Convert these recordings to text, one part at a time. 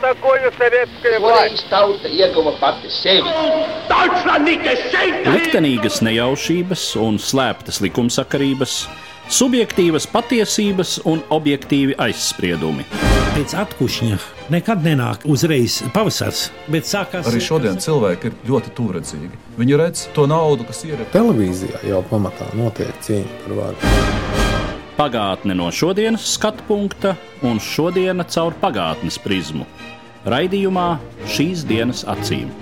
такое советская власть? Tauta ieguva pati sevi. Liktenīgas nejaušības un slēptas likumsakarības, subjektīvas patiesības un objektīvi aizspriedumi. Pēc atkušņa nekad nenāk uzreiz pavasars, bet sākās... Arī šodien cilvēki ir ļoti tūredzīgi. Viņi redz to naudu, kas ir. Televīzijā jau pamatā notiek cīņa par varu. Pagātne no šodienas skatu punkta un šodiena caur pagātnes prizmu. Raidījumā Šīs dienas acīm.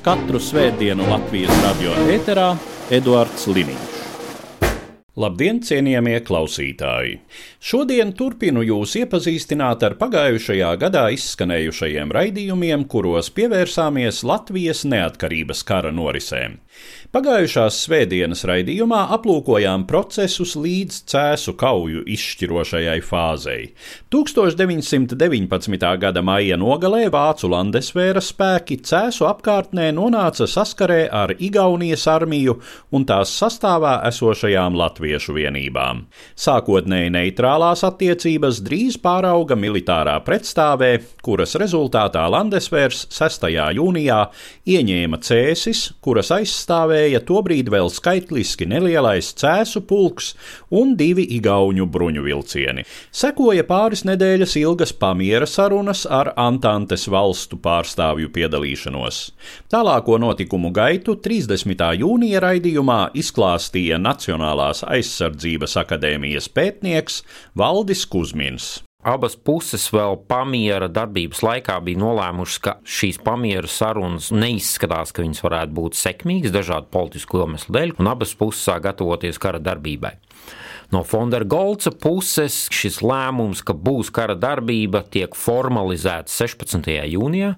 Katru svētdienu Latvijas radio ēterā Eduards Liniņš. Labdien, cienījamie klausītāji! Šodien turpinu jūs iepazīstināt ar pagājušajā gadā izskanējušajiem raidījumiem, kuros pievērsāmies Latvijas neatkarības kara norisēm. Pagājušās svētdienas raidījumā aplūkojām procesus līdz Cēsu kauju izšķirošajai fāzei. 1919. gada maija nogalē vācu landesvēra spēki Cēsu apkārtnē nonāca saskarē ar Igaunijas armiju un tās sastāvā esošajām latviešu vienībām. Sākotnēji neitrālās attiecības drīz pārauga militārā pretstāvē, kuras rezultātā landesvērs 6. jūnijā ieņēma Cēsis, kuras aizstāvēja tobrīd vēl skaitliski nelielais Cēsu pulks un 2 igauņu bruņuvilcieni. Sekoja pāris nedēļas ilgas pamiera sarunas ar Antantes valstu pārstāvju piedalīšanos. Tālāko notikumu gaitu 30. jūnija raidījumā izklāstīja Nacionālās aizsardzības akadēmijas pētnieks Valdis Kuzmins. Abas puses vēl pamiera darbības laikā bija nolēmušas, ka šīs pamiera sarunas neizskatās, ka viņas varētu būt sekmīgas dažādu politisku iemeslu dēļ, un abas puses sāk gatavoties kara darbībai. No von der Goltza puses šis lēmums, ka būs kara darbība, tiek formalizēts 16. jūnijā,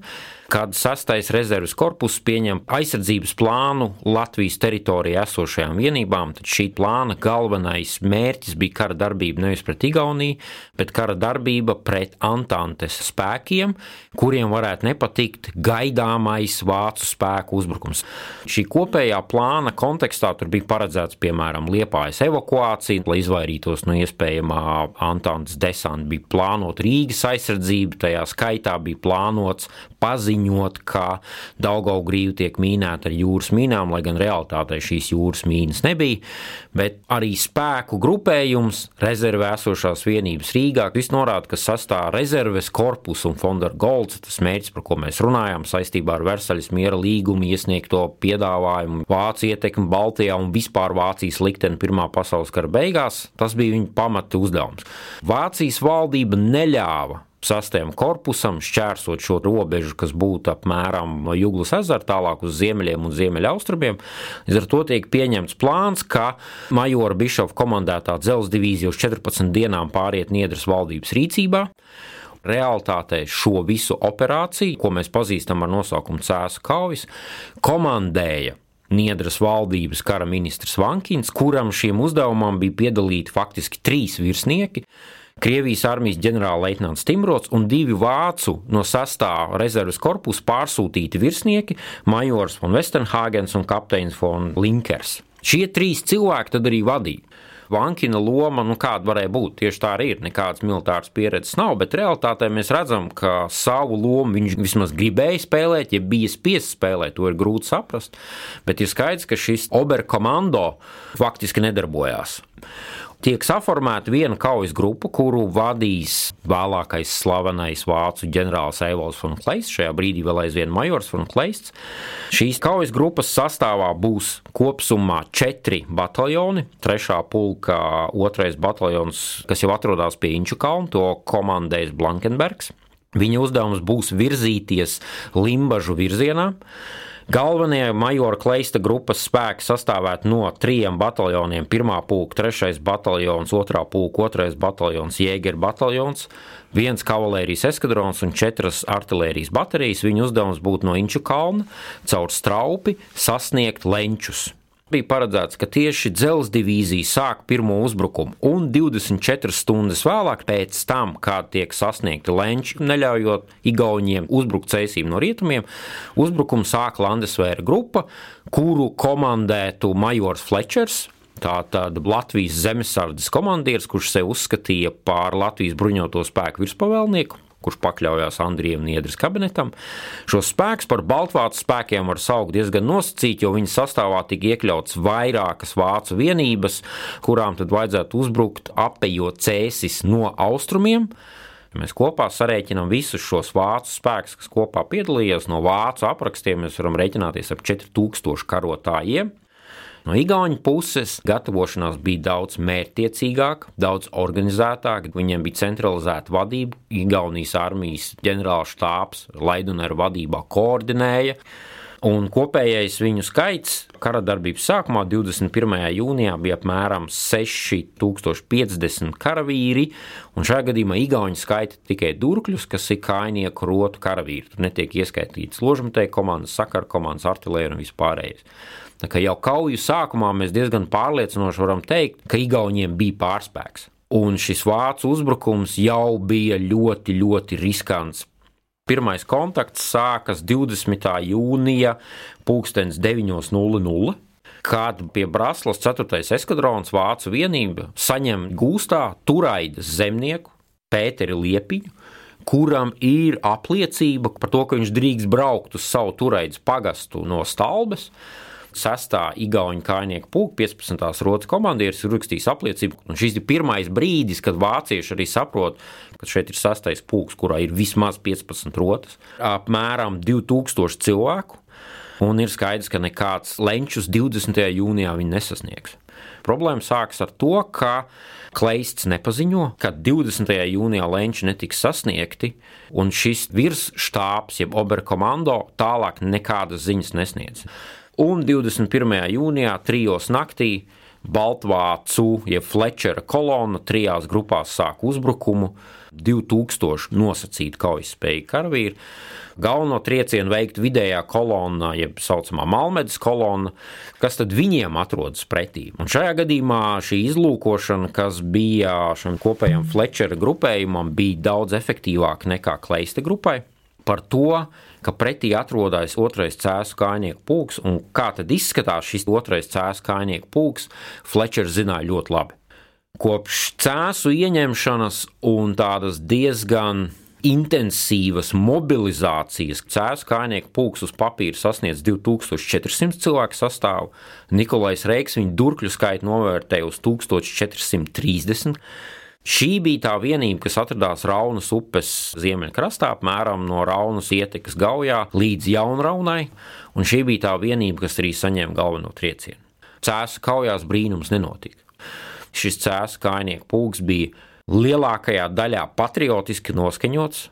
kad 6. rezerves korpus pieņem aizsardzības plānu Latvijas teritorijā esošajām vienībām, tad šī plāna galvenais mērķis bija kara darbība nevis pret Igauniju, bet kara darbība pret Antantes spēkiem, kuriem varētu nepatikt gaidāmais vācu spēku uzbrukums. Šī kopējā plāna kontekstā tur bija paredzēts, piemēram, Liepājas evakuācija, lai izvairītos no iespējamā Antantes desanta, bija plānot Rīgas aizsardzību, tajā skaitā bija plānots paziņot, ka Daugavgrīva tiek mīnēta ar jūras mīnām, lai gan realitātē šīs jūras mīnas nebija, bet arī spēku grupējums, rezervē esošās vienības Rīgā, viss norāda, ka sastāv rezerves korpus un von der Goltza, tas mērķis, par ko mēs runājām saistībā ar Versaļas miera līgumu, iesniegto piedāvājumu, Vācu ietekmi Baltijā un vispār Vācijas likteni Pirmā pasaules kara beigās, tas bija viņa pamata uzdevums. Vācijas valdība neļāva 6. korpusam šķērsot šo robežu, kas būtu apmēram no Juglas ezera tālāk uz ziemeļiem un ziemeļaustrumiem. Līdz ar to tiek pieņemts plāns, ka majora Bišofa komandētā dzelzs divīzija uz 14 dienām pāriet Niedras valdības rīcībā. Realitātē šo visu operāciju, ko mēs pazīstam ar nosaukumu Cēsu kaujas, komandēja Niedras valdības kara ministrs Vankins, kuram šiem uzdevumam bija piedalīti faktiski 3 virsnieki, Krievijas armijas ģenerālleitnants Timrots un 2 vācu no 6. rezerves korpusa pārsūtīti virsnieki, majors von Westenhāgens un kapteinis von Linkers. Šie 3 cilvēki tad arī vadīja. Vankina loma, kāda varēja būt, tieši tā arī ir, nekādas militāras pieredzes nav, bet realitātē mēs redzam, ka savu lomu viņš vismaz gribēja spēlēt, ja bija spiests spēlēt, to ir grūti saprast, bet ir skaidrs, ka šis Oberkommando faktiski nedarbojās. Tiek saformēta viena kaujas grupa, kuru vadīs vēlākais slavenais vācu ģenerālis Eivalds von Kleists, šajā brīdī vēl aizvien majors von Kleists. Šīs kaujas grupas sastāvā būs kopsumā 4 bataljoni, 3. pulka 2. bataljons, kas jau atrodas pie Inču kalna, to komandēs Blankenbergs. Viņa uzdevums būs virzīties Limbažu virzienā. Galvenie majora Kleista grupas spēki sastāvētu no 3 bataljoniem, 1. pulka 3. bataljons, 2. pulka 2. bataljons, Jēgeru bataljons, 1 kavalērijas eskadrons un 4 artilērijas baterijas. Viņu uzdevums būtu no Inču kalna caur Straupi sasniegt Lenčus. Bija paredzēts, ka tieši dzelzs divīzija sāk pirmo uzbrukumu un 24 stundas vēlāk pēc tam, kad tiek sasniegti Lenči, neļaujot Igauņiem uzbrukt Cēsīm no rietumiem, uzbrukumu sāk Landesvēra grupa, kuru komandētu majors Flečers, tātad Latvijas zemesardzes komandieris, kurš sev uzskatīja par Latvijas bruņoto spēku virspavēlnieku. kurš pakļaujās Andrija Niedras kabinetam. Šos spēkus par baltvācu spēkiem var saukt diezgan nosacīt, jo viņi sastāvā tika iekļauts vairākas vācu vienības, kurām tad vajadzētu uzbrukt apejot Cēsis no austrumiem. Ja mēs kopā sarēķinām visus šos vācu spēkus, kas kopā piedalījās, no vācu aprakstiem mēs varam rēķināties ap 4000 karotājiem. No igauņu puses gatavošanās bija daudz mērķtiecīgāka, daudz organizētāka, viņiem bija centralizēta vadība, Igaunijas armijas ģenerāla štābs Laidoneru vadībā koordinēja, un kopējais viņu skaits kara darbības sākumā 21. jūnijā bija apmēram 6050 karavīri, un šajā gadījumā igauņi skaita tikai durkļus, kas ir kājnieku rotu karavīri. Tur netiek ieskaitītas ložmetēju komandas, sakaru komandas, artilērija un vispārējais. Tā kā jau kauju sākumā mēs diezgan pārliecinoši varam teikt, ka igauņiem bija pārspēks. Un šis vācu uzbrukums jau bija ļoti, ļoti riskants. Pirmais kontakts sākas 20. jūnija 9:00, kad pie Braslas 4. eskadrons vācu vienība saņem gūstā Turaidas zemnieku Pēteri Liepiņu, kuram ir apliecība par to, ka viņš drīkst braukt uz savu Turaidas pagastu no Stalbes. 6. igauņu kājnieku pulka 15. rotas komandieris ir rakstījis apliecību, un šis ir pirmais brīdis, kad vācieši arī saprot, ka šeit ir 6. pulks, kurā ir vismaz 15 rotas, apmēram 2000 cilvēku, un ir skaidrs, ka nekāds Lenčus 20. jūnijā viņi nesasniegs. Problēma sākas ar to, ka Kleists nepaziņo, ka 20. jūnijā Lenči netiks sasniegti, un šis virsštābs, jeb oberkomando, tālāk nekādas ziņas nesniedz. Un 21. jūnijā 3. naktī baltvācu, jeb Flečera kolona 3 grupās sāk uzbrukumu, 2000 nosacīti kaujaspējīgi karavīri. Galveno triecienu veikt vidējā kolonna, jeb saucamā Malmedes kolona, kas tad viņiem atrodas pretī. Un šajā gadījumā šī izlūkošana, kas bija šim kopējam Flečera grupējumam, bija daudz efektīvāka nekā Kleista grupai. Par to, ka pretī atrodas 2. cēsu kājnieku pulks, un kā tad izskatās šis 2. cēsu kājnieku pulks, Flečers zināja ļoti labi. Kopš cēsu ieņemšanas un tādas diezgan intensīvas mobilizācijas cēsu kājnieku pulks uz papīra sasniedz 2400 cilvēku sastāvu, Nikolais Reiks viņu durkļu skaitu novērtēja uz 1430. Šī bija tā vienība, kas atradās Raunas upes ziemeļkrastā, apmēram no Raunas ietekas Gaujā līdz Jaunraunai, un šī bija tā vienība, kas arī saņēma galveno triecienu. Cēsu kaujās brīnums nenotika. Šis cēsu kājnieku pulks bija lielākajā daļā patriotiski noskaņots,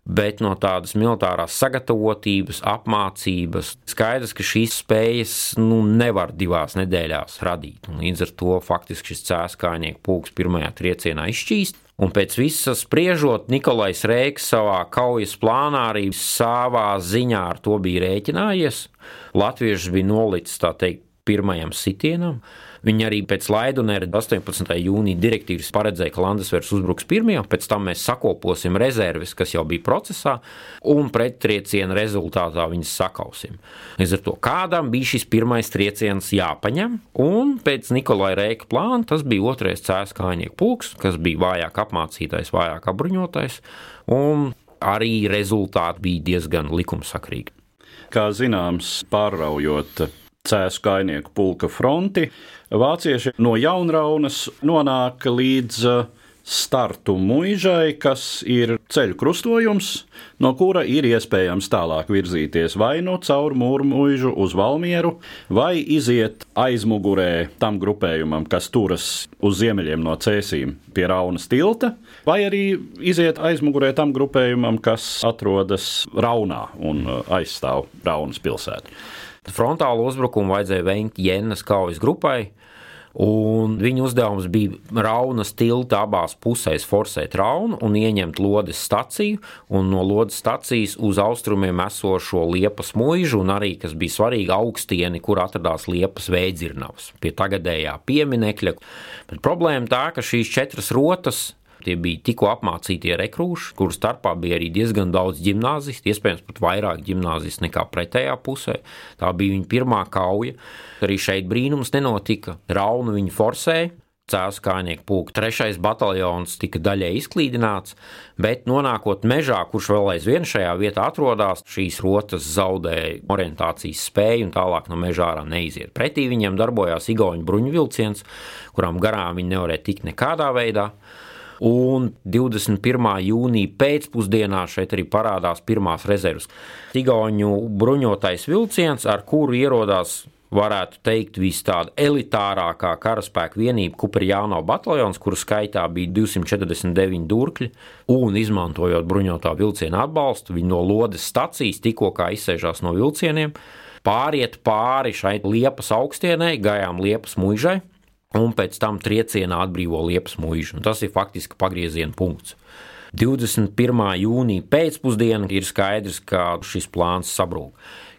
bet no tādas militārās sagatavotības, apmācības skaidrs, ka šīs spējas nevar 2 nedēļās radīt. Un līdz ar to faktiski šis cēsu kājnieku pulks pirmajā triecienā izšķīst. Un pēc visas spriežot, Nikolais Reiks savā kaujas plānā arī savā ziņā ar to bija rēķinājies. Latviešus bija nolicis, tā teikt, pirmajam sitienam. Viņi arī pēc Laidonera 18. jūnija direktīvas paredzēja, ka Landesvers uzbruks pirmajam, pēc tam mēs sakoposim rezerves, kas jau bija procesā, un prettrieciena rezultātā viņas sakausim. Līdz ar to kādam bija šis pirmais trieciens jāpaņem, un pēc Nikolai Reika plāna tas bija 2. cēsu kājnieku pulks, kas bija vājāk apmācītais, vājāk apbruņotais, un arī rezultāti bija diezgan likumsakrīgi. Kā zināms, pārraujot cēsu kājnieku pulka fronti, vācieši no Jaunraunas nonāk līdz startu Muižai, kas ir ceļu krustojums, no kura ir iespējams tālāk virzīties vai nu caur Mūrmuižu uz Valmieru, vai iziet aizmugurē tam grupējumam, kas turas uz ziemeļiem no Cēsīm pie Raunas tilta, vai arī iziet aizmugurē tam grupējumam, kas atrodas Raunā un aizstāv Raunas pilsētu. Frontālu uzbrukumu vajadzēja veikt Jennas kaujas grupai, un viņu uzdevums bija Raunas tilta abās pusēs forsēt Raunu un ieņemt Lodes staciju, un no Lodes stacijas uz austrumiem esošo Liepas muižu, un arī, kas bija svarīgi, augstieni, kur atradās Liepas Vēdzirnavas, pie tagadējā pieminekļa. Bet problēma tā, ka šīs 4 rotas, tie bija tikko apmācītie rekrūši, kuru starpā bija arī diezgan daudz ģimnāzistu, iespējams pat vairāk ģimnāzistu nekā pretējā pusē. Tā bija viņa pirmā kauja. Arī šeit brīnums nenotika. Raunu viņi forsēja, Cēsu kājnieku pulka 3. bataljons tika daļai izklīdināts, bet nonākot mežā, kurš vēl aizvien šajā vietā atrodas, šīs rotas zaudēja orientācijas spēju un tālāk no mežā ārā neiziet. Pretī viņiem darbojās igauņu bruņuvilciens, kurām garām viņi nevarēja tikt nekādā veidā. Un 21. jūnija pēcpusdienā šeit arī parādās pirmās rezerves. Igauņu bruņotais vilciens, ar kuru ierodās, varētu teikt, vis tāda elitārākā karaspēka vienība Kupriāno bataljons, kuru skaitā bija 249 durkļi, un izmantojot bruņotā vilciena atbalstu, viņi no Lodes stacijas tikko kā izsēžās no vilcieniem, pāriet pāri šai Liepas augstienei, gājām Liepas muižai, un pēc tam triecienā atbrīvo Liepas muižu. Un tas ir faktiski pagrieziena punkts. 21. jūnija pēcpusdiena ir skaidrs, ka šis plāns sabrūk.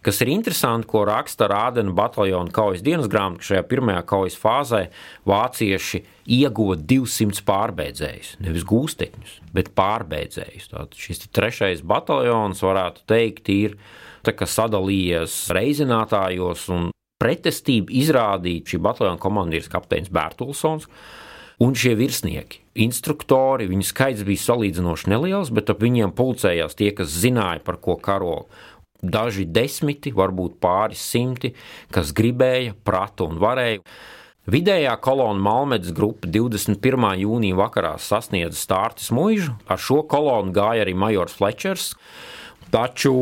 Kas ir interesanti, ko raksta Rādena bataljona kaujas dienas grāmata, ka šajā pirmajā kaujas fāzē vācieši ieguva 200 pārbēdzējus, nevis gūstekņus, bet pārbēdzējus. Tātad šis 3. bataljons, varētu teikt, ir tā kā sadalījies reizinātājos, un pretestību izrādīja šī bataljona komandieris kapteinis Bērtulsons un šie virsnieki. Instruktori, viņu skaits bija salīdzinoši neliels, bet ap viņiem pulcējās tie, kas zināja, par ko karo. Daži 10, varbūt pāris 100, kas gribēja, prata un varēja. Vidējā kolona Malmedes grupa 21. jūnija vakarā sasniedza Stārtes muižu. Ar šo kolonu gāja arī majors Flečers. Taču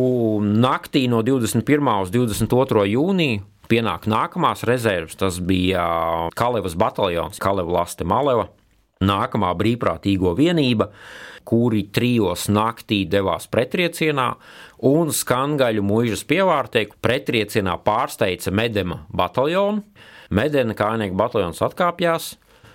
naktī no 21. uz 22. jūniju pienāk nākamās rezerves. Tas bija Kalevas bataljons, Kaleva Laste Maleva, nākamā brīvprātīgo vienība, kuri 3 naktī devās pretriecienā, un Skangaļu muižas pievārtē pretriecienā pārsteidza Medema bataljonu. Medena kājnieku bataljons atkāpjās,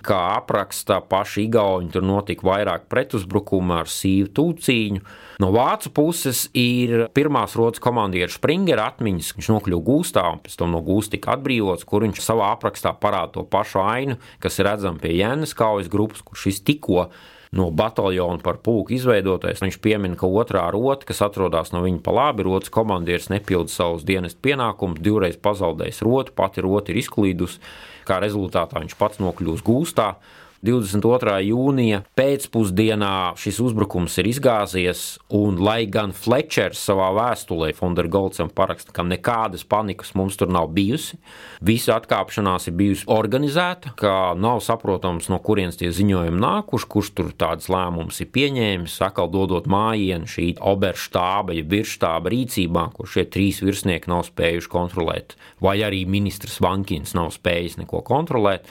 kā apraksta paši igauņi, tur notika vairāk pretuzbrukumu ar sīvu tūcīņu. No vācu puses ir pirmās rotas komandieru Springera atmiņas, viņš nokļuva gūstā un pēc tam no gūsta tika atbrīvots, kur viņš savā aprakstā parāda to pašu ainu, kas ir redzama pie Jēnes kaujas grupas, kur šis tikko no bataljona par pulku izveidotais. Viņš piemina, ka otrā rota, kas atrodas no viņa pa labi, rotas komandieris nepilda savus dienestu pienākumus, 2 reiz pazaudējis rotu, pati rota ir izklīdusi, kā rezultātā viņš pats nokļūst gūstā. 22. jūnija pēcpusdienā šis uzbrukums ir izgāzies, un lai gan Flečers savā vēstulē Fondergolcam paraksta, ka nekādas panikas mums tur nav bijusi, visa atkāpšanās ir bijusi organizēta, ka nav saprotams, no kurienes tie ziņojumi nākuši, kurš tur tādas lēmumus ir pieņēmis, sakal dodot mājienu šī oberštāba, ja virsštāba rīcībā, kur šie 3 virsnieki nav spējuši kontrolēt, vai arī ministrs Vankins nav spējis neko kontrolēt.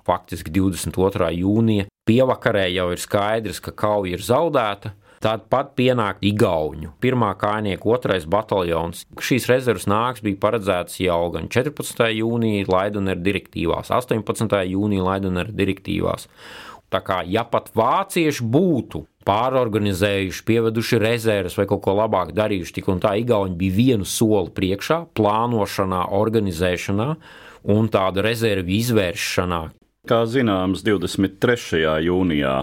Faktiski 22. jūnija pievakarē jau ir skaidrs, ka kauja ir zaudēta. Tad pat pienāk igauņu 1. kājnieku 2. bataljons. Šīs rezerves nāks bija paredzētas jau gan 14. jūnija Laidoneru direktīvās, 18. jūnija Laidoneru direktīvās. Tā kā, ja pat vācieši būtu pārorganizējuši, pieveduši rezerves vai kaut ko labāk darījuši, tik un tā igauņi bija vienu soli priekšā, plānošanā, organizēšanā un tāda rezervi izvēršanā. Kā zināms, 23. jūnijā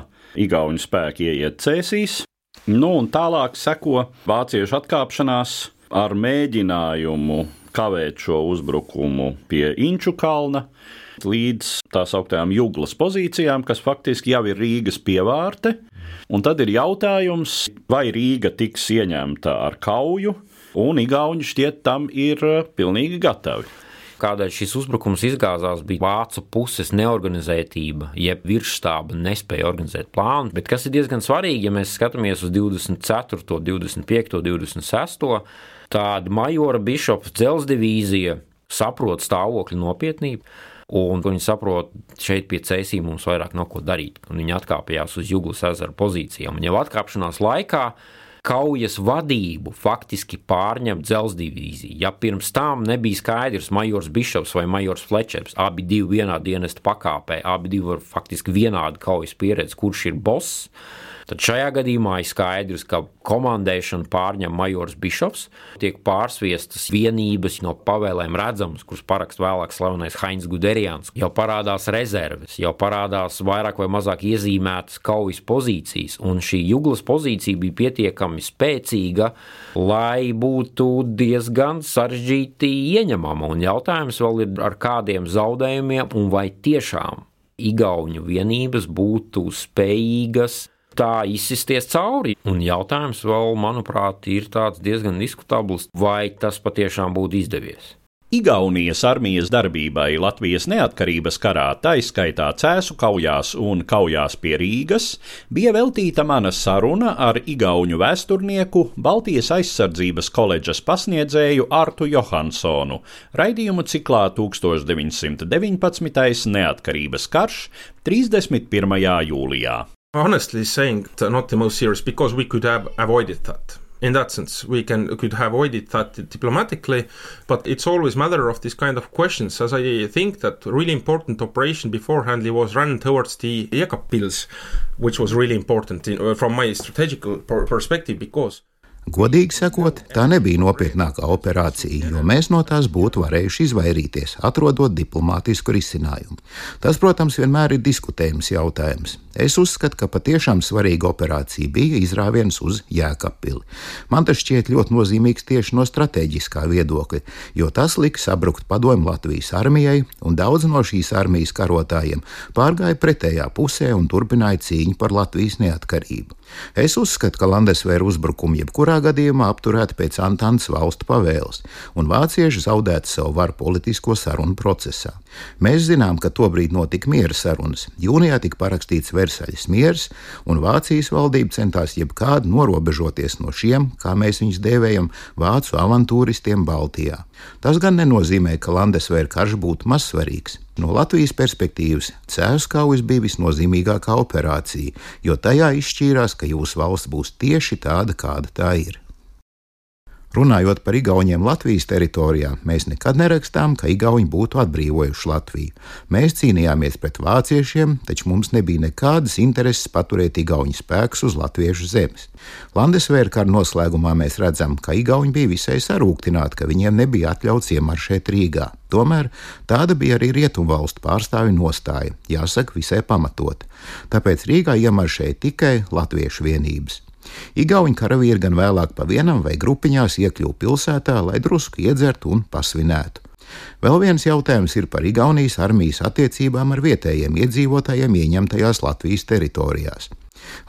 igauņu spēki ieiet Cēsīs, un tālāk seko vāciešu atkāpšanās ar mēģinājumu kavēt šo uzbrukumu pie Inču kalna līdz tā sauktajām Juglas pozīcijām, kas faktiski jau ir Rīgas pievārte. Un tad ir jautājums, vai Rīga tiks ieņemta ar kauju, un igauņi šķiet tam ir pilnīgi gatavi. Kādēļ šis uzbrukums izgāzās, bija vācu puses neorganizētība, jeb virsštāba nespēja organizēt plānu, bet kas ir diezgan svarīgi, ja mēs skatāmies uz 24., 25., 26., tāda majora Bišopa dzelzsdivīzija saprot stāvokļa nopietnību, un viņi saprot, šeit pie Cēsīm mums vairāk nav ko darīt, un viņi atkāpjās uz Juglas ezera pozīcijām, un jau atkāpšanās laikā kaujas vadību faktiski pārņem dzelzsdivīzija. Ja pirms tam nebija skaidrs majors Bišops vai majors Flečers, abi divi vienā dienesta pakāpē, abi divi var faktiski vienādi kaujas pieredzi, kurš ir boss, tad šajā gadījumā ir skaidrs, ka komandēšanu pārņem majors Bišops, tiek pārsviestas vienības no pavēlēm redzamas, kuras parakst vēlāk slavenais Hainz Guderians. Jau parādās rezerves, jau parādās vairāk vai mazāk iezīmētas kaujas pozīcijas, un šī Juglas pozīcija bija pietiekami spēcīga, lai būtu diezgan sarežģīti ieņemama, un jautājums vēl ir ar kādiem zaudējumiem, un vai tiešām igauņu vienības būtu spējīgas tā izsisties cauri. Un jautājums vēl, manuprāt, ir tāds diezgan diskutabls, vai tas patiešām būtu izdevies. Igaunijas armijas darbībai Latvijas neatkarības karā, taiskaitā Cēsu kaujās un kaujās pie Rīgas, bija veltīta mana saruna ar igauņu vēsturnieku, Baltijas aizsardzības koledžas pasniedzēju Artu Johansonu, raidījumu ciklā 1919. Neatkarības karš 31. jūlijā. Honestly saying, not the most serious, because we could have avoided that. In that sense, we could have avoided that diplomatically, but it's always matter of this kind of questions, as I think that really important operation beforehand was run towards the Jēkabpils, which was really important from my strategical perspective, because Godīgi sakot, tā nebija nopietnākā operācija, jo mēs no tās būtu varējuši izvairīties, atrodot diplomātisku risinājumu. Tas, protams, vienmēr ir diskutējams jautājums. Es uzskatu, ka patiešām svarīga operācija bija izrāviens uz Jēkabpili. Man tas šķiet ļoti nozīmīgs tieši no strateģiskā viedokļa, jo tas lika sabrukt padomju Latvijas armijai, un daudz no šīs armijas karotājiem pārgāja pretējā pusē un turpināja cīņu par Latvijas neatkarību. Es uzskatu, ka Landesvēra uzbrukumi jebkurā gadījumā apturēti pēc Antantes valstu pavēles, un vācieši zaudētu savu varu politisko sarunu procesā. Mēs zinām, ka tobrīd notika miera sarunas. Jūnijā tika parakstīts Versaļas miers, un Vācijas valdība centās jebkādi norobežoties no šiem, kā mēs viņus dēvējam, vācu avantūristiem Baltijā. Tas gan nenozīmē, ka Landesvēra karš būtu mazsvarīgs. No Latvijas perspektīvas Cēsu kaujas bija visnozīmīgākā operācija, jo tajā izšķīrās, ka jūsu valsts būs tieši tāda, kāda tā ir. Runājot par igauņiem Latvijas teritorijā, mēs nekad nerakstām, ka igauņi būtu atbrīvojuši Latviju. Mēs cīnījāmies pret vāciešiem, taču mums nebija nekādas intereses paturēt igauņu spēkus uz latviešu zemes. Landesvēra kara noslēgumā mēs redzam, ka igauņi bija visai sarūktināti, ka viņiem nebija atļauts iemaršēt Rīgā. Tomēr tāda bija arī rietumvalstu pārstāvju nostāja, jāsaka visai pamatot. Tāpēc Rīgā iemaršēja tikai latviešu vienības. Igauņu karavīri gan vēlāk pa vienam vai grupiņās iekļuva pilsētā, lai drusku iedzertu un pasvinētu. Vēl viens jautājums ir par Igaunijas armijas attiecībām ar vietējiem iedzīvotājiem ieņemtajās Latvijas teritorijās.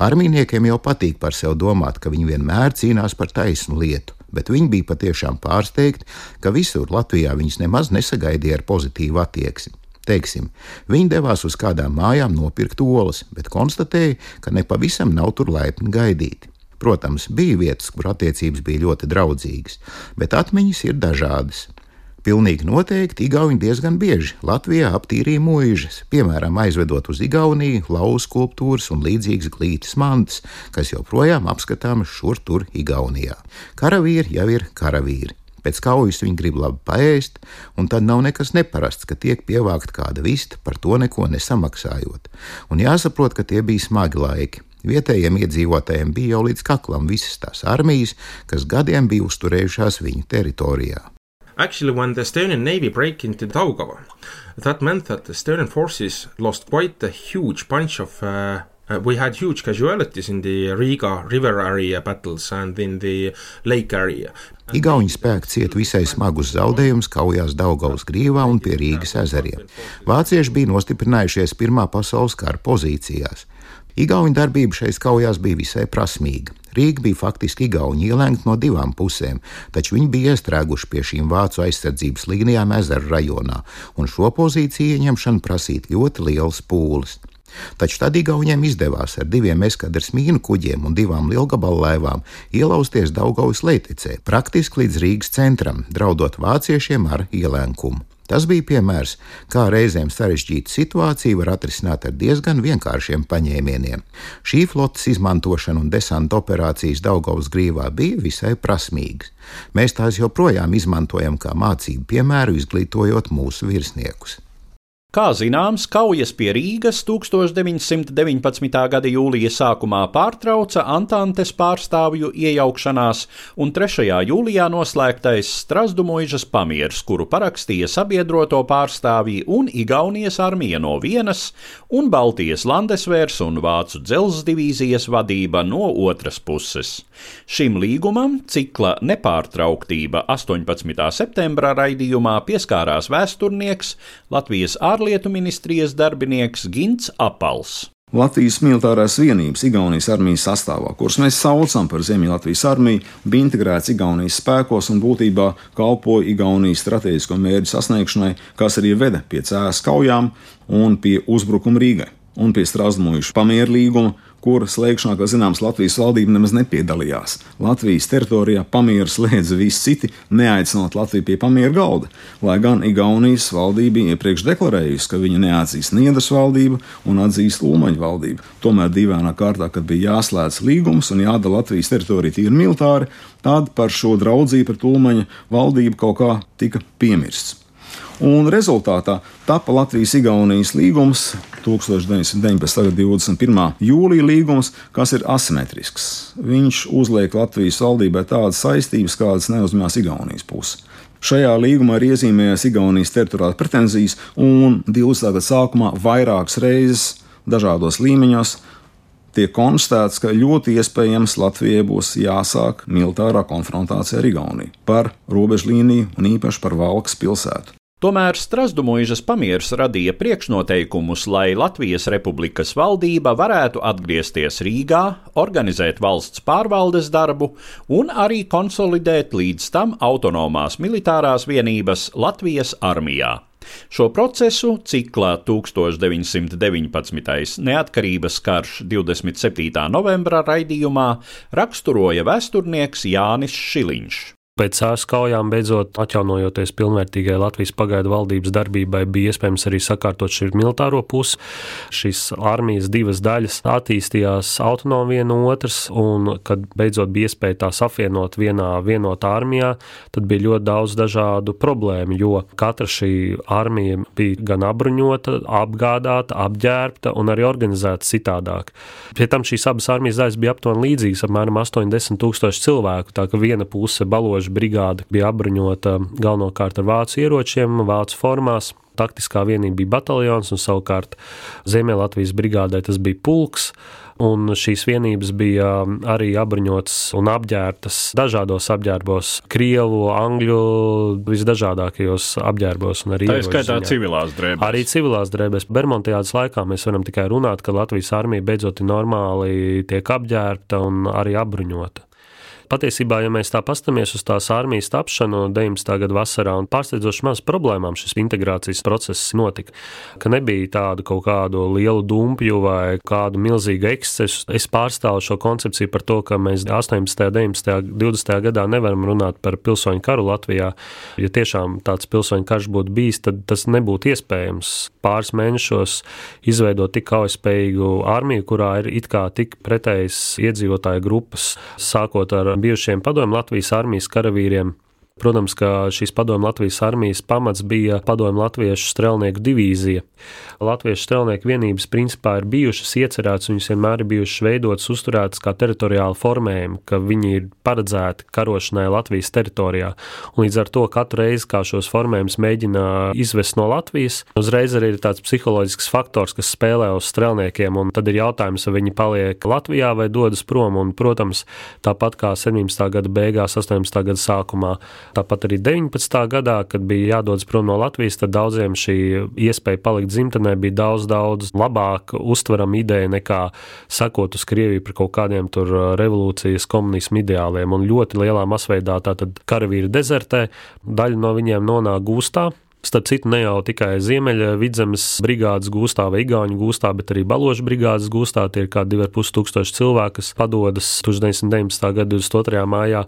Armijniekiem jau patīk par sevi domāt, ka viņi vienmēr cīnās par taisnu lietu, bet viņi bija patiešām pārsteigti, ka visur Latvijā viņus nemaz nesagaidīja ar pozitīvu attieksmi. Teiksim, viņi devās uz kādām mājām nopirkt olas, bet konstatēja, ka nepavisam nav tur laipni gaidīti. Protams, bija vietas, kur attiecības bija ļoti draudzīgas, bet atmiņas ir dažādas. Pilnīgi noteikti igauņi diezgan bieži Latvijā aptīrīja muižas, piemēram, aizvedot uz Igauniju lauzu skulptūras un līdzīgas glītas mantas, kas joprojām apskatāmas šur tur Igaunijā. Karavīri jau ir karavīri. Pēc kaujas viņi grib labi paēst, un tad nav nekas neparasts, ka tiek pievākt kāda vista, par to neko nesamaksājot. Un jāsaprot, ka tie bija smagi laiki. Vietējiem iedzīvotājiem bija jau līdz kaklam visas tās armijas, kas gadiem bija uzturējušās viņu teritorijā. Actually, when the Estonian Navy broke into Daugava, that meant that the Estonian forces lost quite a huge bunch of we had huge casualties in the Riga river area battles and in the lake area. Igauņu spēki cieta visai smagus zaudējumus kaujās Daugavas grīvā un pie Rīgas ezeriem. Vācieši bija nostiprinājušies Pirmā pasaules kara pozīcijās. Igauņu darbība šais kaujās bija visai prasmīga. Rīga bija faktiski igauņi ielēgta no divām pusēm, taču viņi bija iestrēguši pie šīm vācu aizsardzības līnijām ezeru rajonā, un šo pozīciju ieņemšanu prasīt ļoti liels pūles. Taču tad igauņiem izdevās ar 2 eskadras mīnu kuģiem un 2 lielgabalu laivām ielausties Daugavas lejtecē, praktiski līdz Rīgas centram, draudot vāciešiem ar ielēnkumu. Tas bija piemērs, kā reizēm sarežģīta situācija var atrisināt ar diezgan vienkāršiem paņēmieniem. Šī flotes izmantošana un desanta operācijas Daugavas grīvā bija visai prasmīgas. Mēs tās joprojām izmantojam kā mācību piemēru, izglītojot mūsu virsniekus. Kā zināms, kaujas pie Rīgas 1919. gada jūlija sākumā pārtrauca Antantes pārstāvju iejaukšanās un 3. jūlijā noslēgtais Strazdu muižas pamiers, kuru parakstīja sabiedroto pārstāvji un Igaunijas armija no vienas un Baltijas Landesvērs un Vācu dzelzs divīzijas vadība no otras puses. Šim līgumam cikla nepārtrauktība 18. septembra raidījumā pieskārās vēsturnieks, Latvijas ārlietu ārlietu ministrijas darbinieks Gints Apals. Latvijas militārās vienības Igaunijas armijas sastāvā, kuras mēs saucam par Ziemeļlatvijas armiju, bija integrēts Igaunijas spēkos un būtībā kalpoja Igaunijas strateģisko mērķu sasniegšanai, kas arī veda pie Cēsu kaujām un pie uzbrukuma Rīgai un pie Strasdmuižu pamieru līguma, kura slēgšanā, kā zināms, Latvijas valdība nemaz nepiedalījās. Latvijas teritorijā pamieru slēdza visi citi, neaicinot Latviju pie pamieru galda, lai gan Igaunijas valdība bija iepriekš deklarējusi, ka viņa neatzīs Niedras valdību un atzīst Ulmaņu valdību. Tomēr dīvainā kārtā, kad bija jāslēdz līgums un jādala Latvijas teritorija tīri militāri, tad par šo draudzību pret Ulmaņu valdību kaut kā tika piemirsts. Un rezultātā tapa Latvijas-Igaunijas līgums 1919. 21. jūlija līgums, kas ir asimetrisks. Viņš uzliek Latvijas valdībai tādas saistības, kādas neuzņemās Igaunijas puse. Šajā līgumā ir iezīmējās Igaunijas teritoriālās pretenzijas un 20. gada sākumā vairākas reizes dažādos līmeņos tiek konstatēts, ka ļoti iespējams Latvijai būs jāsāk militārā konfrontācija ar Igauniju par robežlīniju un īpaši par Valkas pilsētu. Tomēr Strasdmuižas pamieris radīja priekšnoteikumus, lai Latvijas Republikas valdība varētu atgriezties Rīgā, organizēt valsts pārvaldes darbu un arī konsolidēt līdz tam autonomās militārās vienības Latvijas armijā. Šo procesu ciklā 1919. neatkarības karš 27. novembra raidījumā raksturoja vēsturnieks Jānis Šiliņš. Pēc Cēsu kaujām beidzot atjaunojoties pilnvērtīgai Latvijas pagaidu valdības darbībai, bija iespējams arī sakārtot šī militāro pusi. Šīs armijas divas daļas attīstījās autonomi viena otras, un kad beidzot bija iespēja tās apvienot vienotā armijā, tad bija ļoti daudz dažādu problēmu, jo katra šī armija bija gan apbruņota, apgādāta, apģērbta un arī organizēta citādāk. Pie tam šīs abas armijas daļas bija aptuveni līdzīgas, apmēram 80 000 cilvēku, tā ka viena puse Baloža brigāde bija apbruņota galvenokārt ar vācu ieročiem, vācu formās. Taktiskā vienība bija bataljons, un savukārt Ziemeļlatvijas brigādē tas bija pulks, un šīs vienības bija arī apbruņotas un apģērbtas dažādos apģērbos, krievu, angļu, visdažādākajos apģērbos un arī ieroču ziņā. Tā ir skaitā civilās drēbēs. Arī civilās drēbēs. Bermontiādas laikā mēs varam tikai runāt, ka Latvijas armija beidzot normāli tiek apģērbta un arī apbruņota. Patiesībā, ja mēs tā pastamies uz tās armijas tapšanu 19. gada vasarā, un pārsteidzoši maz problēmām šis integrācijas process notika, ka nebija tādu kaut kādu lielu dumpju vai kādu milzīgu ekscesu. Es pārstāvu šo koncepciju par to, ka mēs 18., 19., 20. gadā nevaram runāt par pilsoņu karu Latvijā. Ja tiešām tāds pilsoņu karš būtu bijis, tad tas nebūtu iespējams pāris mēnešos izveidot tik kaujaspējīgu armiju, kurā ir it kā tik pretējas iedzīvotāju grupas, sākot ar bijušiem padomju Latvijas armijas karavīriem. Protams, ka šīs padomju Latvijas armijas pamats bija padomju latviešu strelnieku divīzija. Latviešu strelnieku vienības principā ir bijušas iecerētas, viņas vienmēr ir bijušas veidotas, uzturētas kā teritoriāli formējumi, ka viņi ir paredzēti karošanai Latvijas teritorijā. Un līdz ar to katru reizi, kā šos formējumus mēģina izvest no Latvijas, uzreiz arī ir tāds psiholoģisks faktors, kas spēlē uz strelniekiem, un tad ir jautājums, vai viņi paliek Latvijā vai dodas prom. Un, protams, tāpat kā 17. gada beigās, 18. gada sākumā, tāpat arī 19. gadā, kad bija jādodas prom no Latvijas, tad daudziem šī iespēja palikt dzimtenē bija daudz labāk uztverama ideja nekā sakot uz Krieviju par kaut kādiem tur revolūcijas komunismu ideāliem. Un ļoti lielā masveidā tātad karavīri dezertē, daļa no viņiem nonāk gūstā. Starp citu, ne jau tikai Ziemeļa Vidzemes brigādes gūstā vai Igauņu gūstā, bet arī Baložu brigādes gūstā. Tie ir kā 2500 cilvēki, kas padodas 1919. gada 22. mājā.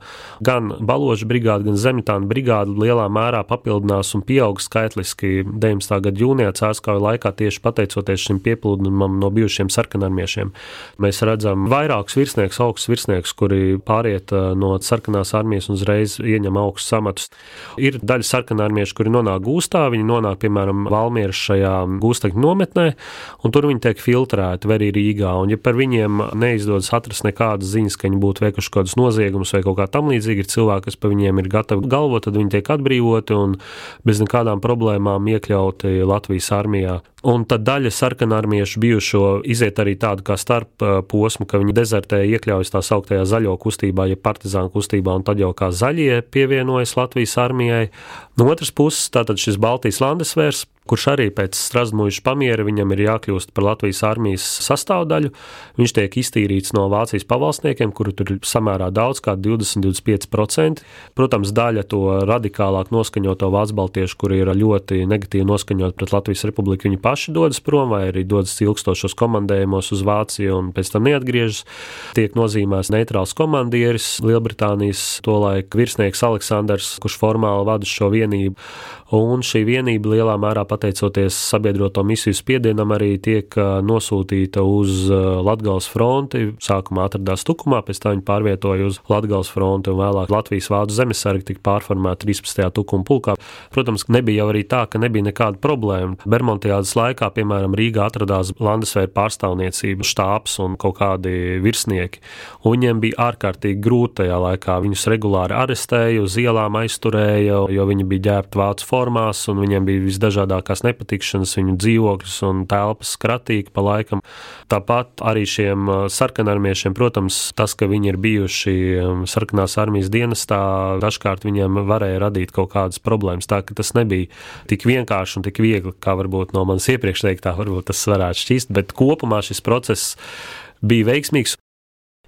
Gan Baložu brigāde, gan Zemitāna brigāde lielā mērā papildinās un pieaug skaitliski 19. gada jūnijā Cēsu kauju laikā tieši pateicoties šim pieplūdumam no bijušiem sarkanarmiešiem. Mēs redzam vairākus virsniekus, augstus virsniekus, kuri pāriet no sarkanās armijas un uzreiz ieņem augstus amatus. Ir daļa sarkanarmiešu, kuri nonāk gūstā. Viņi nonāk, piemēram, Valmieras šajā gūstekņu nometnē, un tur viņi tiek filtrēti, vai arī Rīgā. Un ja par viņiem neizdodas atrast nekādas ziņas, ka viņi būtu veikuši kādus noziegumus vai kaut kā tam līdzīgi, ir cilvēki, kas par viņiem ir gatavi galvot, tad viņi tiek atbrīvoti un bez nekādām problēmām iekļauti Latvijas armijā. Un tad daļa sarkanarmiešu bijušo iziet arī tādu kā starp posmu, ka viņi dezertē iekļaujas tā sauktajā zaļo kustībā, ja partizānu kustībā, un tad jau kā zaļie pievienojas Latvijas armijai. No otras puses, tātad šis Baltijas landesvērs, kurš arī pēc Strasdmuižas pamiera viņam ir jākļūst par Latvijas armijas sastāvdaļu. Viņš tiek iztīrīts no Vācijas pavalsniekiem, kuru tur ir samērā daudz, kā 20-25%. Protams, daļa to radikālāk noskaņoto vācu-baltiešu, kuri ir ļoti negatīvi noskaņot pret Latvijas republiku, viņi paši dodas prom vai arī dodas ilgstošos komandējumos uz Vāciju un pēc tam neatgriežas. Tiek nozīmēts neitrāls komandieris, Lielbritānijas tolaik virsnieks Aleksandrs, kurš formāli vada šo vienību. Un šī vienība lielā mērā pateicoties sabiedroto misiju spiedienam arī tiek nosūtīta uz Latgales fronti. Sākumā atradās Tukumā, pēc tam viņi pārvietoja uz Latgales fronti un vēlāk Latvijas vācu zemesargi tika pārformēti 13. Tukuma pulkā. Protams, nebija jau arī tā, ka nebija nekāda problēma. Bermontiādas laikā, piemēram, Rīgā atradās Landesvēra pārstāvniecība, štābs un kaut kādi virsnieki. Un viņiem bija ārkārtīgi grūti tajā laikā. Viņus regulāri arestēja, uz ielām aizturēja, jo viņi bija ģērbti vācu formās, un viņiem bija visdažādākās nepatikšanas, viņu dzīvokļus un telpas skratīgi pa laikam. Tāpat arī šiem sarkanarmiešiem, protams, tas, ka viņi ir bijuši sarkanās armijas dienestā, dažkārt viņiem varēja radīt kaut kādas problēmas, tā ka tas nebija tik vienkārši un tik viegli, kā varbūt no manas iepriekš teiktā, varbūt tas varētu šķist, bet kopumā šis process bija veiksmīgs.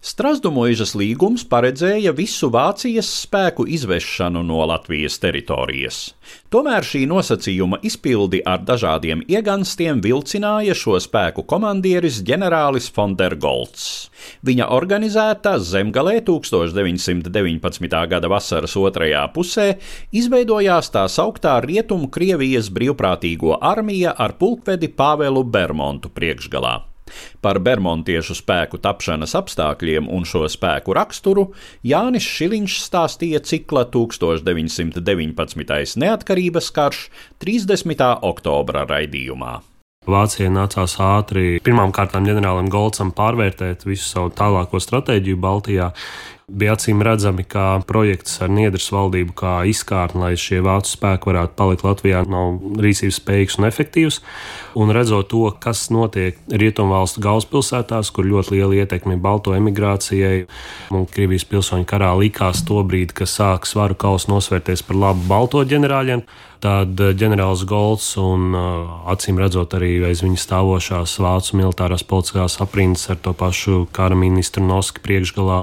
Strasdmuižas līgums paredzēja visu Vācijas spēku izvešanu no Latvijas teritorijas. Tomēr šī nosacījuma izpildi ar dažādiem ieganstiem vilcināja šo spēku komandieris ģenerālis von der Goltz. Viņa organizētā Zemgalē 1919. gada vasaras otrajā pusē izveidojās tā sauktā Rietumu Krievijas brīvprātīgo armija ar pulkvedi Pāvelu Bermontu priekšgalā. Par bermontiešu spēku tapšanas apstākļiem un šo spēku raksturu Jānis Šiliņš stāstīja cikla 1919. neatkarības karš 30. oktobra raidījumā. Vācijai nācās ātri pirmām kārtām ģenerālim Golcam pārvērtēt visu savu tālāko stratēģiju Baltijā. Bija acīm redzami, ka projekts ar Niedras valdību kā izkārtni, lai šie vācu spēki varētu palikt Latvijā, nav rīcības spējīgs un efektīvs. Un redzot to, kas notiek Rietumvalstu galvaspilsētās, kur ļoti liela ietekme balto emigrācijai, un Krievijas pilsoņu karā likās to brīdi, ka sāk svaru kausu nosvērties par labu balto ģenerāļiem, tad ģenerālis Goltz un acīm redzot arī aiz viņa stāvošās vācu militārās politiskās aprindas ar to pašu kara ministru Noski priekšgalā,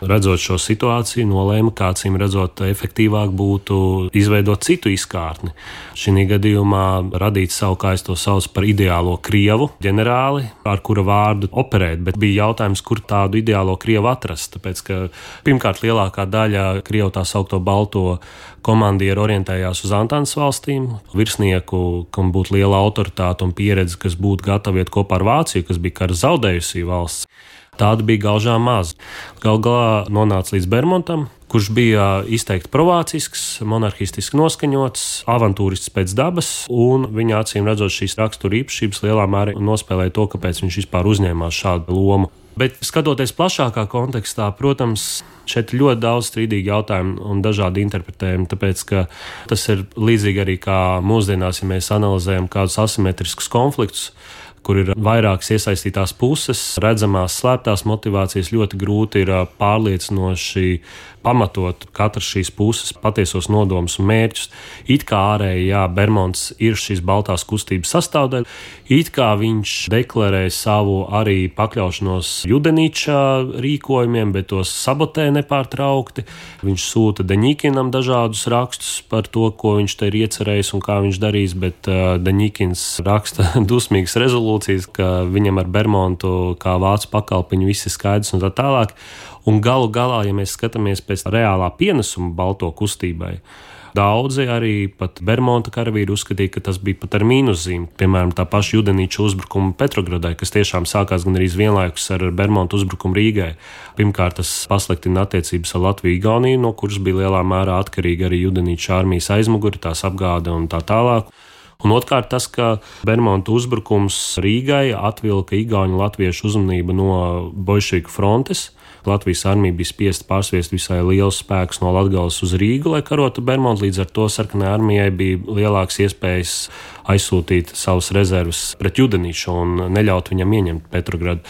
redzot šo situāciju, nolēma, kā acīm redzot efektīvāk būtu izveidot citu izkārtni. Šī gadījumā radīt savu, kā es to saucu, par ideālo Krievu ģenerāli, ar kura vārdu operēt, bet bija jautājums, kur tādu ideālo Krievu atrast, tāpēc, ka pirmkārt lielākā daļa Krievu tā saukto balto komandieru orientējās uz Antantes valstīm, virsnieku, kam būtu liela autoritāte un pieredze, kas būtu gatavi iet kopā ar Vāciju, kas bija kara zaudējusī valsts. Tāda bija gaužām maz. Galu galā nonāca līdz Bermontam, kurš bija izteikti provācisks, monarhistiski noskaņots, avantūrists pēc dabas, un viņa acīm redzot šīs rakstura īpašības lielā mērā nospēlēja to, kāpēc viņš vispār uzņēmās šādu lomu. Bet skatoties plašākā kontekstā, protams, šeit ir ļoti daudz strīdīgu jautājumu un dažādi interpretējumi, tāpēc, ka tas ir līdzīgi arī kā mūsdienās, ja mēs analizējam kādus asimetriskus konfliktus, kur ir vairākas iesaistītās puses, redzamās slēptās motivācijas, ļoti grūti ir pārliecinoši pamatot katras šīs puses patiesos nodomus un mērķus. It kā ārēji, jā, Bermonts ir šīs baltās kustības sastāvdaļa, it kā viņš deklarē savu arī pakļaušanos Judenīča rīkojumiem, bet tos sabotē nepārtraukti. Viņš sūta Deņikinam dažādus rakstus par to, ko viņš te ir iecerējis un kā viņš darīs, bet Deņikins raksta dusmīgas rezolūcijas, ka viņam ar Bermontu kā vācu pakalpiņu viss ir skaidrs un tā tālāk. Un galu galā, ja mēs skatāmies pēc reālā pienesuma balto kustībai, daudzi arī pat Bermonta karavīri uzskatīja, ka tas bija pat ar mīnuszīmi. Piemēram, tā paša Judenīča uzbrukuma Petrogradai, kas tiešām sākās gan arī vienlaikus ar Bermonta uzbrukumu Rīgai. Pirmkārt, tas pasliktina attiecības ar Latviju Igauniju, no kuras bija lielā mērā atkarīga arī Judenīča armijas aizmuguri, tās apgāde un tā tālāk. Un otrkārt tas, ka Bermonta uzbrukums Rīgai atvilka igauņu latviešu uzmanību no bolševiku frontes, Latvijas armija bija spiesta pārsviest visai liels spēks no Latgales uz Rīgu, lai karotu Bermontu. Līdz ar to sarkanajai armijai bija lielāks iespējas aizsūtīt savus rezervus pret Judenīšu un neļaut viņam ieņemt Petrogradu.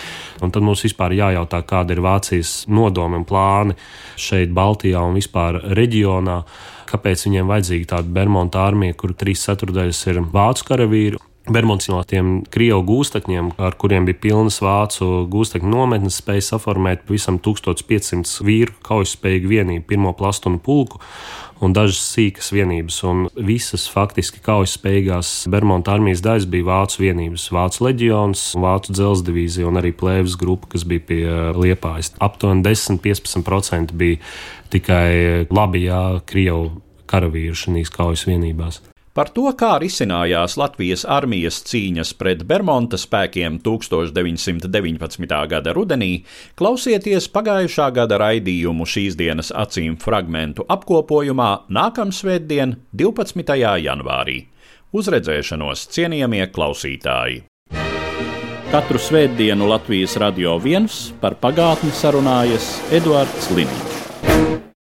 Un tad mums vispār jājautā, kāda ir Vācijas nodomi un plāni šeit Baltijā un vispār reģionā. Kāpēc viņiem vajadzīga tāda Bermonta armija, kur 3/4 ir vācu karavīri? Bermonts no tiem Krievu gūstekņiem, ar kuriem bija pilnas vācu gūstekņu nometnes, spēja saformēt pavisam 1500 vīru kaujaspējīgu vienību, pirmo plastunu pulku un dažas sīkas vienības. Un visas faktiski kaujaspējīgās Bermonta armijas daļas bija vācu vienības, vācu leģions, vācu dzelzsdivīzija un arī plēves grupa, kas bija pie Liepājas. Aptuveni 10–15% bija tikai labajā Krievu karavīru šīs kaujas vienībās. Par to, kā risinājās Latvijas armijas cīņas pret Bermonta spēkiem 1919. gada rudenī, klausieties pagājušā gada raidījumu šīs dienas acīm fragmentu apkopojumā nākamsvētdien, 12. janvārī. Uz redzēšanos, cienījamie klausītāji! Katru svētdienu Latvijas Radio 1 par pagātni sarunājas Eduards Liniņš.